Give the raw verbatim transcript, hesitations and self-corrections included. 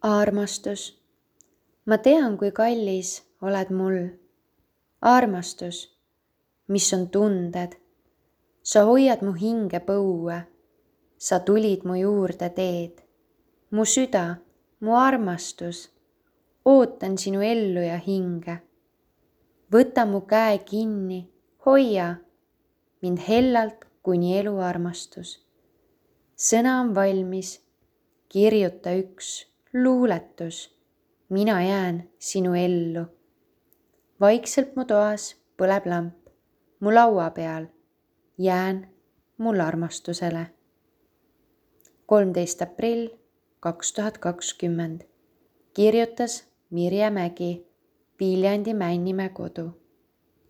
Armastus, ma tean, kui kallis oled mul. Armastus, mis on tunded, sa hoiad mu hinge põue, sa tulid mu juurde teed. Mu süda, mu armastus, ootan sinu ellu ja hinge. Võta mu käe kinni, hoia mind hellalt kuni elu armastus. Sõna on valmis, kirjuta üks luuletus, mina jään sinu ellu. Vaikselt mu toas põleb lamp, mu laua peal jään mul armastusele. kolmteist aprill kaks tuhat kakskümmend. Kirjutas Mirje Mägi, Viljandi Männimäe kodu.